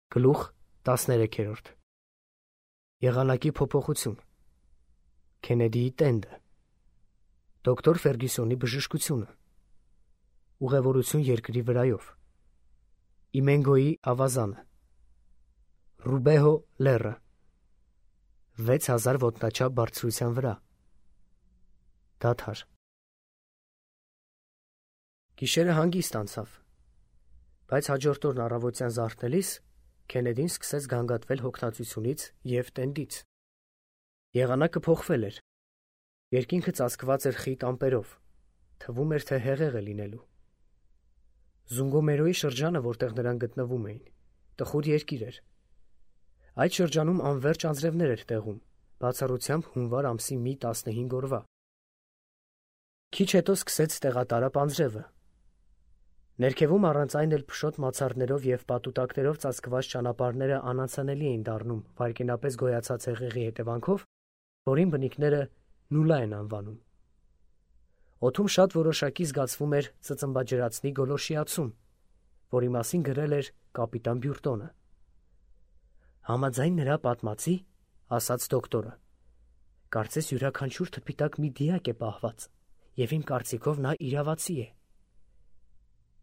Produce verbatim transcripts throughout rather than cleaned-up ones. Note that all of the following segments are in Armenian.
Գլուխ տասներեքերորդ Եղանակի փոփոխություն Քենեդիի տենդը Դոկտոր Ֆերգյուսոնի բժշկությունը Ուղևորություն երկրի վրայով Իմենգոյի ավազանը Ռուբեհո լեռը վեց հազար ոտնաչափ բարձրության վրա Դադար Գիշերը հանգիստ անցավ, բայց հաջորդ օրն առավոտյան զարթնելիս Քենեդին սկսեց գանգատվել հոգնածությունից և տենդից։ Եղանակը փոխվել էր։ Երկինքը ծածկված էր խիտ ամպերով, թվում էր, թե հեղեղ է լինելու։ Զունգոմերոյի շրջանը, որտեղ նրանք գտնվում էին, տխուր երկիր էր։ Այդ շրջանում անվերջ անձրևներ էր տեղում, բացառությամբ հունվար ամսի մի տասնհինգ օրվա։ Քիչ հետո սկսեց տեղատարապ անձրևը։ Ներքևում առանց այն էլ փշոտ մացառներով և պատուտակներով ծածկված ճանապարհները անանցանելի էին դառնում վայրկենապես գոյացած հեղեղի հետևանքով, որին բնիկները նուլա են անվանում։ Օդում շատ որոշակի զգացվում էր ծծմբաջրածնի գոլորշիացում, որի մասին գրել էր կապիտան Բյուրտոնը։ Համաձայն նրա պատմածի, ասաց դոկտորը, կարծես յուրաքանչյուր թփիտակ մի դիակ է պահված, և իմ կարծիքով նա իրավացի է։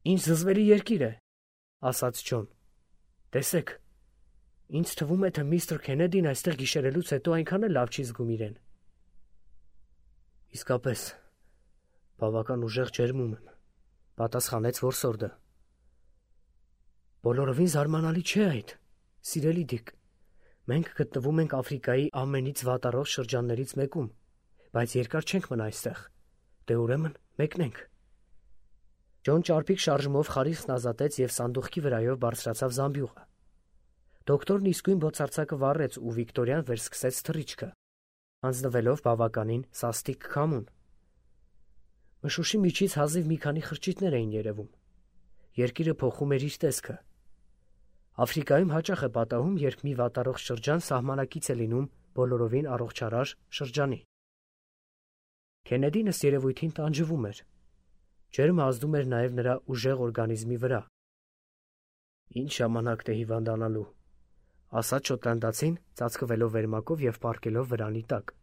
Ինչ զզվելի երկիր է, ասաց Ջոն, տեսեք, ինձ թվում է, թե միստր Քենեդին այստեղ գիշերելուց հետո այնքան էլ լավ չի զգում իրեն։ Իսկապես, բավական ուժեղ ջերմում եմ, պատասխանեց որսորդը։ Բոլորովին զարմանալի չէ այդ, սիրելի Դիկ, մենք գտնվում ենք Աֆրիկայի ամենից վատառող շրջաններից մեկում, բայց երկար չենք մնա այստեղ, դե ուրեմն մեկնենք։ Ջոն ճարպիկ շարժումով խարիսկն ազատեց և սանդուղքի վրայով բարձրացավ զամբյուղը։ Դոկտորն իսկույն բոցարձակը վառեց ու Վիկտորյան վերսկսեց թռիչքը, հանձնվելով բավականին սաստիկ քամուն։ Մշուշի միջից հազիվ մի քանի խրճիթներ էին երևում։ Երկիրը փոխում էր իր տեսքը։ Աֆրիկայում հաճախ է պատահում, երբ մի վատառող շրջան սահմանակից է լինում բոլորովին առողջարար շրջանի։ Քենեդին ըստ երևույթին տանջվում էր։ Ջերմը ազդում էր նաև նրա ուժեղ օրգանիզմի վրա։ Ինչ ժամանակ թե հիվանդանալու, ասաց շոտլանդացին, ծածկվելով վերմակով և պառկելով վրանի տակ։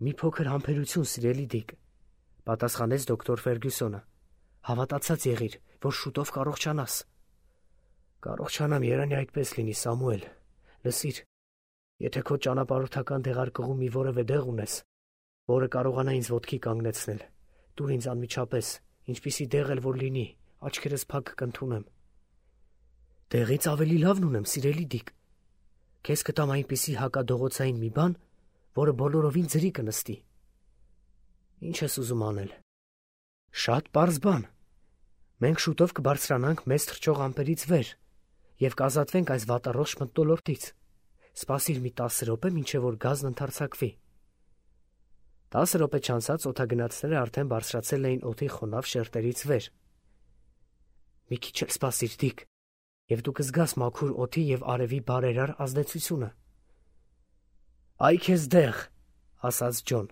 Մի փոքր համբերություն, սիրելի Դիկ, պատասխանեց դոկտոր Ֆերգյուսոնը։ Հավատացած եղիր, որ շուտով կառողջանաս։ Կառողջանամ, երանի այդպես լինի, Սամուել։ Լսիր, եթե քո ճանապարհորդական դեղարկղում մի որևէ դեղ ունես, որը կարողանա ինձ ոտքի կանգնեցնել, տուր ինձ անմիջապես, ինչպիսի դեղ էլ որ լինի, աչքերս փակ կընդունեմ։ Դեղից ավելի լավն ունեմ, սիրելի Դիկ։ Քեզ կտամ այնպիսի հակադողոցային մի բան, որը բոլորովին ձրի կնստի։ Ինչ ես ուզում անել։ Շատ պարզ բան։ Մենք շուտով կբարձրանանք մեզ թռչող ամպերից վեր և կազատվենք այս վատառող մթնոլորտից։ Սպասիր մի տասը րոպե, մինչև որ գազն ընդարձակվի։ Տասը րոպե չանցած օդագնացները արդեն բարձրացել էին օդի խոնավ շերտերից վեր։ Մի քիչ էլ սպասիր, Դիկ, և դու կզգաս մաքուր օդի և արևի բարերար ազդեցությունը։ Այ քեզ դեղ, ասաց Ջոն։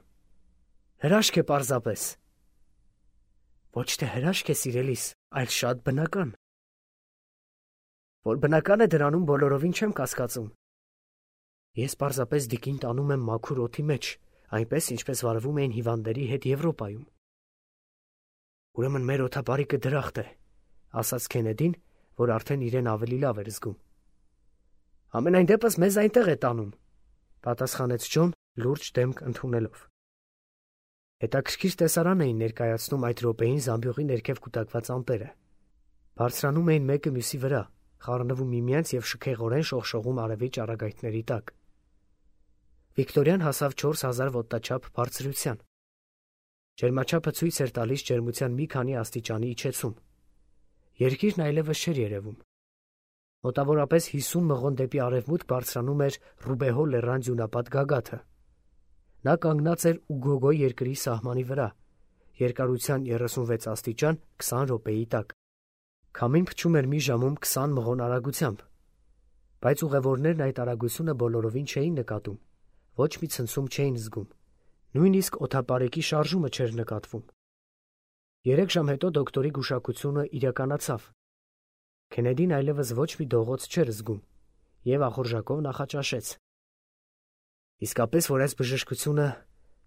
Հրաշք է պարզապես։ Ոչ թե հրաշք է, սիրելիս, այլ շատ բնական։ Որ բնական է, դրանում բոլորովին չեմ կասկածում։ Ես պարզապես Դիկին տանում եմ մաքուր օդի մեջ, այնպես, ինչպես վարվում էին հիվանդների հետ Եվրոպայում։ Ուրեմն մեր օդապարիկը դրախտ է, ասաց Քենեդին, որ արդեն իրեն ավելի լավ էր զգում։ Համենայն դեպս մեզ այնտեղ է տանում, պատասխանեց Ջոն, լուրջ դեմք ընդունելով։ Հետաքրքիր տեսարան էին ներկայացնում այդ րոպեին զամբյուղի ներքև կուտակված ամպերը։ Բարձրանում էին մեկը մյուսի վրա, խառնվում միմյանց և շքեղորեն շողշողում արևի ճառագայթների տակ։ Վիկտորյան հասավ չորս հազար ոտնաչափ բարձրության։ Ջերմաչափը ցույց էր տալիս ջերմության մի քանի աստիճանի իջեցում։ Երկիրն այլևս չէր երևում։ Մոտավորապես հիսուն մղոն դեպի արևմուտք բարձրանում էր Ռուբեհո լեռան ձյունապատ գագաթը։ Նա կանգնած էր Ուգոգո երկրի սահմանի վրա, երկարության երեսունվեց աստիճան քսան րոպեի տակ։ Քամին փչում էր մի ժամում քսան մղոն արագությամբ, բայց ուղևորներն այդ արագությունը բոլորովին չէին նկատում, ոչ մի ցնցում չէին զգում, նույնիսկ օդապարեկի շարժումը չէր նկատվում։ Երեք ժամ հետո դոկտորի գուշակությունը իրականացավ։ Քենեդին այլևս ոչ մի դողոց չէր զգում և ախորժակով նախաճաշեց։ Իսկապես, որ այս բժշկությունը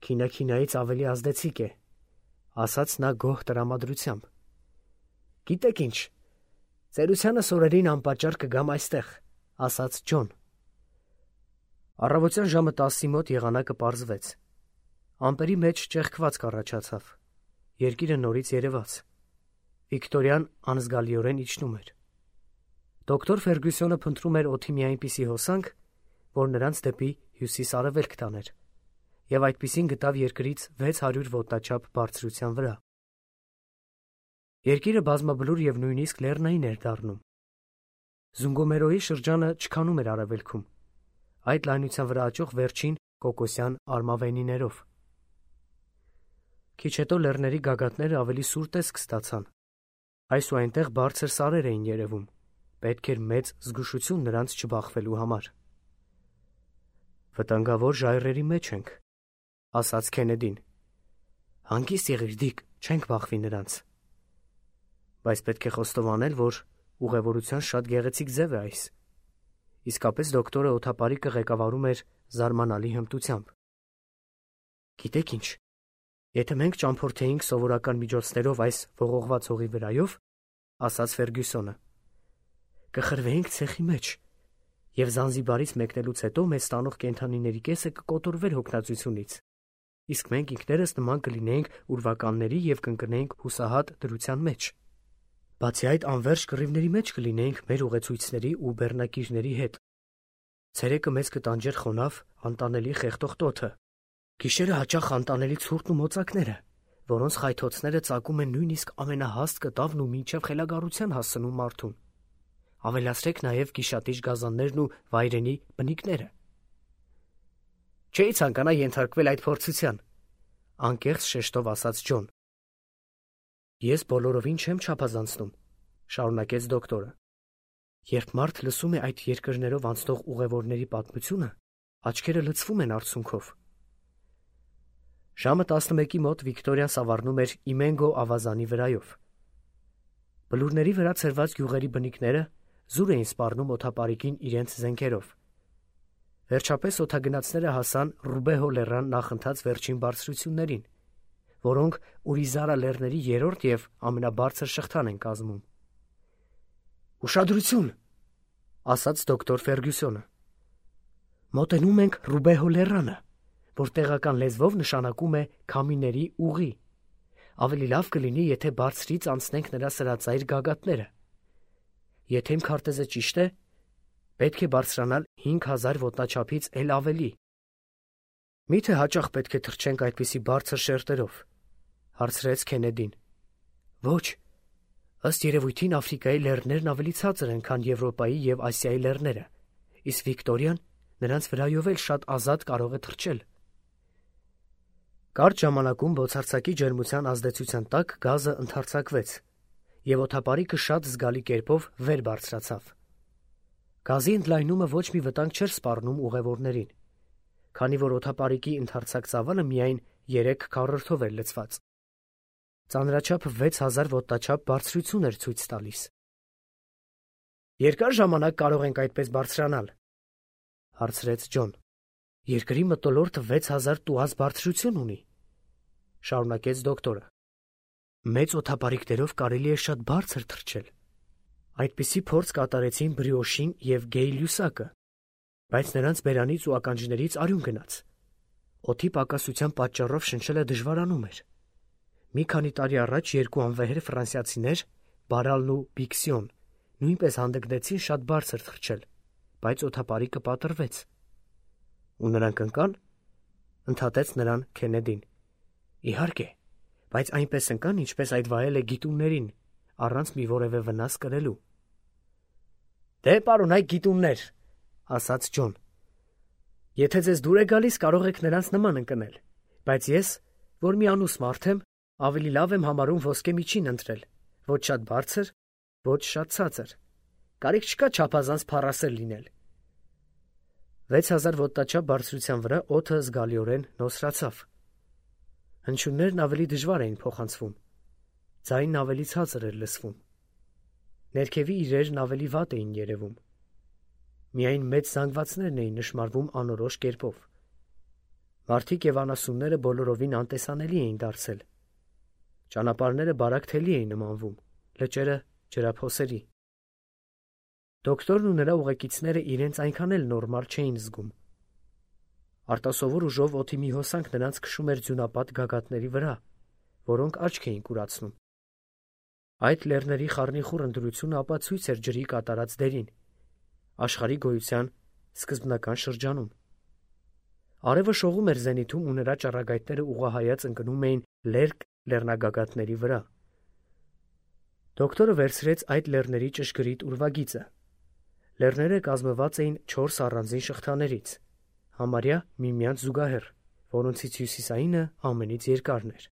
քինաքինայից ավելի ազդեցիկ է, ասաց նա գոհ տրամադրությամբ։ Գիտեք ինչ, ծերությանս օրերին անպատճառ կգամ այստեղ, ասաց Ջոն։ Առավոտյան ժամը տասի մոտ եղանակը պարզվեց։ Ամպերի մեջ ճեղքվածք առաջացավ։ Երկիրը նորից երևաց։ Վիկտորիան անզգալիորեն իջնում էր։ Դոկտոր Ֆերգյուսոնը փնտրում էր օդի մի այնպիսի հոսանք, որ նրանց դեպի հյուսիս-արևելք տաներ, և այդպիսին գտավ երկրից վեց հարյուր ոտնաչափ բարձրության վրա։ Երկիրը բազմաբլուր և նույնիսկ լեռնային էր դառնում։ Զունգոմերոյի շրջանը չքանում էր արևելքում, այդ լայնության վրա աճող վերջին կոկոսյան արմավենիներով։ Քիչ հետո լեռների գագաթները ավելի սուր տեսք ստացան։ Այս ու այնտեղ բարձր սարեր էին երևում, պետք էր մեծ զգուշություն նրանց չբախվելու համար։ Վտանգավոր ժայռերի մեջ ենք, ասաց Քենեդին։ Հանգիստ եղիր, Դիկ, չենք բախվի նրանց։ Բայց պետք է խոստովանել, որ ուղևորության շատ գեղեցիկ ձև է այս։ Իսկապես դոկտորը օդապարիկը ղեկավարում էր զարմանալի հմտությամբ։ Գիտեք ինչ, եթե մենք ճամփորդեինք սովորական միջոցներով այս ողողված հողի վրայով, ասաց Ֆերգյուսոնը, կխրվեինք ցեխի մեջ, և Զանզիբարից մեկնելուց հետո մեզ տանող կենդանիների կեսը կկոտորվեր հոգնածությունից, իսկ մենք ինքներս նման կլինեինք ուրվականների և կընկնեինք հուսահատ դրության մեջ։ Բացի այդ, անվերջ կռիվների մեջ կլինեինք մեր ուղեցույցների ու բեռնակիրների հետ։ Ցերեկը մեզ կտանջեր խոնավ, անտանելի խեղդող տոթը, գիշերը հաճախ անտանելի ցուրտն ու մոծակները, որոնց խայթոցները ծակում են նույնիսկ ամենահաստ կտավն ու մինչև խելագարության հասցնում մարդուն։ Ավելացրեք նաև գիշատիչ գազաններն ու վայրենի բնիկները։ Չէի ցանկանա ենթարկվել այդ փորձության, անկեղծ շեշտով ասաց Ջոն։ Ես բոլորովին չեմ չափազանցնում, շարունակեց դոկտորը։ Երբ մարդ լսում է այդ երկրներով անցնող ուղևորների պատմությունը, աչքերը լցվում են արցունքով։ Ժամը տասնմեկի մոտ Վիկտորիան սավառնում էր Իմենգո ավազանի վրայով։ Բլուրների վրա ցրված գյուղերի բնիկները զուր էին սպառնում օդապարիկին իրենց զենքերով։ Վերջապես օդագնացները հասան Ռուբեհո լեռան նախընթաց վերջին բարձրություններին, որոնք Ուրիզարա լեռների երրորդ և ամենաբարձր շղթան են կազմում։ Ուշադրություն, ասաց դոկտոր Ֆերգյուսոնը։ Մոտենում ենք Ռուբեհո լեռանը, որ տեղական լեզվով նշանակում է քամիների ուղի։ Ավելի լավ կլինի, եթե բարձրից անցնենք նրա սրածայր գագաթները։ Եթե իմ քարտեզը ճիշտ է, պետք է բարձրանալ հինգ հազար ոտնաչափից էլ ավելի։ Մի՞թե հաճախ պետք է թռչենք այդպիսի բարձր շերտերով, հարցրեց Քենեդին։ Ոչ, ըստ երևույթին Աֆրիկայի լեռներն ավելի ցածր են, քան Եվրոպայի և Ասիայի լեռները, իսկ Վիկտորիան նրանց վրայով էլ շատ ազատ կարող է թռչել։ Կարճ ժամանակում բոցարձակի ջերմության ազդեցության տակ գազը ընդարձակվեց, և օդապարիկը շատ զգալի կերպով վեր բարձրացավ։ Գազի ընդլայնումը ոչ մի վտանգ չէր սպառնում ուղևորներին, քանի որ օդապարիկի ընդարձակ ծավալը միայն երեք քառորդով էր լցված։ Ծանրաչափը վեց հազար ոտնաչափ բարձրություն էր ցույց տալիս։ Երկար ժամանակ կարող ենք այդպես բարձրանալ, հարցրեց Ջոն։ Երկրի մթնոլորտը վեց հազար տուազ բարձրություն ունի, շարունակեց դոկտորը։ Մեծ օդապարիկներով կարելի է շատ բարձր թռչել։ Այդպիսի փորձ կատարեցին Բրիոշին և Գեյ-Լյուսակը, բայց նրանց բերանից ու ականջներից արյուն գնաց։ Օդի պակասության պատճառով շնչելը դժվարանում էր։ Մի քանի տարի առաջ երկու անվեհեր ֆրանսիացիներ, Բարալն ու Բիքսիոն, նույնպես հանդգնեցին շատ բարձր թռչել, բայց օդապարիկը պատռվեց։ Ու նրանք ընկան, ընդհատեց նրան Քենեդին։ Իհարկե, բայց այնպես ընկան, ինչպես այդ վայել է գիտուններին, առանց մի որևէ վնաս կրելու։ Դե, պարոնայք գիտուններ, ասաց Ջոն։ Եթե ձեզ դուր է գալիս, կարող եք նրանց նման ընկնել, բայց ես, որ մի անուս մարդ եմ, ավելի լավ եմ համարում ոսկե միջին ընտրել, ոչ շատ բարձր, ոչ շատ ցածր։ Կարիք չկա չափազանց փառասեր լինել։ Վեց հազար ոտնաչափ բարձրության վրա օդը զգալիորեն նոսրացավ։ Հնչյուններն ավելի դժվար էին փոխանցվում, ձայնն ավելի ցածր էր լսվում։ Ներքևի իրերն ավելի վատ էին երևում։ Միայն մեծ զանգվածներն էին նշմարվում անորոշ կերպով։ Մարդիկ և անասունները բոլորովին անտեսանելի էին դարձել։ Ճանապարհները բարակ թելի էին նմանվում, լճերը ջրափոսերի։ Դոկտորն ու նրա ուղեկիցները իրենց այնքան էլ նորմալ չէին զգում։ Արտասովոր ուժով օդի մի հոսանք նրանց քշում էր ձյունապատ գագաթների վրա, որոնք աչք էին կուրացնում։ Այդ լեռների խառնիխուռ ընտրությունը ապացույց էր ջրի կատարած դերին, աշխարհի գոյության սկզբնական շրջանում։ Արևը շողում էր զենիթում ու նրա ճառագայթները ուղղահայաց ընկնում էին լերկ լեռնագագաթների վրա։ Դոկտորը վերցրեց այդ լեռների ճշգրիտ ուրվագիծը։ Լեռները կազմված էին չորս առանձին շղթաներից, համարյա միմյանց զուգահեռ, որոնցից հյուսիսայինը ամենից երկարն էր։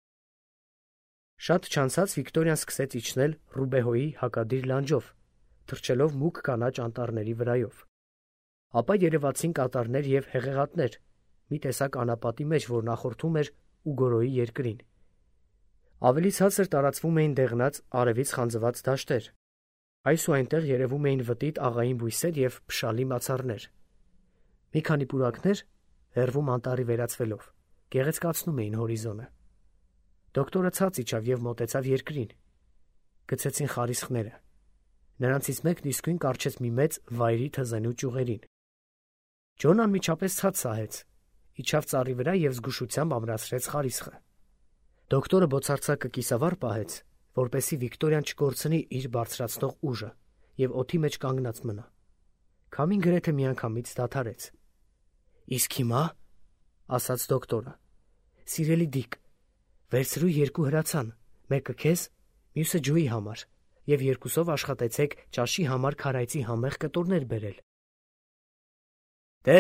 Շատ չանցած Վիկտորիան սկսեց իջնել Ռուբեհոյի հակադիր լանջով, թռչելով մուգ կանաչ անտառների վրայով։ Ապա երևացին կատարներ և հեղեղատներ, մի տեսակ անապատի մեջ, որ նախորդում էր Ուգորոյի երկրին։ Ավելի ցածր տարածվում էին դեղնած, արևից խանձված դաշտեր։ Այս ու այնտեղ երևում էին վտիտ աղային բույսեր և փշալի մացառներ։ Մի քանի պուրակներ, հեռվում անտառի վերածվելով, գեղեցկացնում էին հորիզոնը։ Դոկտորը ցած իջավ և մոտեցավ երկրին։ Գցեցին խարիսխները։ Նրանցից մեկն իսկույն կառչեց մի մեծ վայրի թզենու ճյուղերին։ Ջոնն անմիջապես ցած սահեց, իջավ ծառի վրա և զգուշությամբ ամրացրեց խարիսխը։ Դոկտորը բոցարձակը կիսավառ պահեց, որպեսզի Վիկտորիան չկորցնի իր բարձրացնող ուժը և օդի մեջ կանգնած մնա։ Քամին գրեթե միանգամից դադարեց։ «Իսկ հիմա, — ասաց դոկտորը, — սիրելի Դիկ, վերցրու երկու հրացան, մեկը քեզ, մյուսը Ջոյի համար, և երկուսով աշխատեցեք ճաշի համար քարայծի համեղ կտորներ բերել»։ «Դե,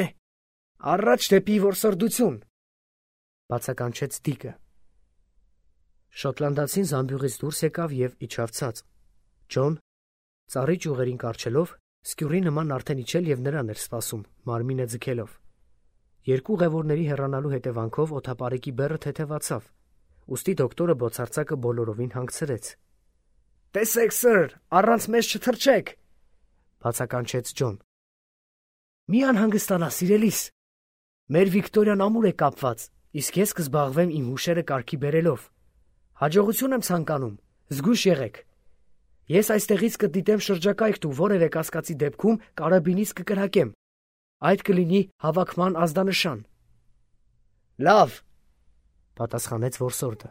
առաջ դեպի որսորդություն», — բացականչեց Դիկը։ Շոտլանդացին զամբյուղից դուրս եկավ և իջավ ցած։ Ջոն, ծառի ճյուղերին կառչելով, սկյուռի նման արդեն իջել և նրան էր սպասում, մարմինը ձգելով։ Երկու ուղևորների հեռանալու հետևանքով օդապարեկի բեռը թեթևացավ, ուստի դոկտորը բոցարձակը բոլորովին հանգցրեց։ «Տեսեք, սըր, առանց մեզ չթռչեք», — բացականչեց Ջոն։ «Մի անհանգստանա, սիրելիս։ Մեր Վիկտորիան ամուր է կապված, իսկ ես կզբաղվեմ իմ հուշերը կարգի բերելով։ Հաջողություն եմ ցանկանում, զգույշ եղեք։ Ես այստեղից կդիտեմ շրջակայքն ու որևէ կասկածի դեպքում կարաբինից կկրակեմ։ Այդ կլինի հավաքման ազդանշան»։ «Լավ», — պատասխանեց որսորդը։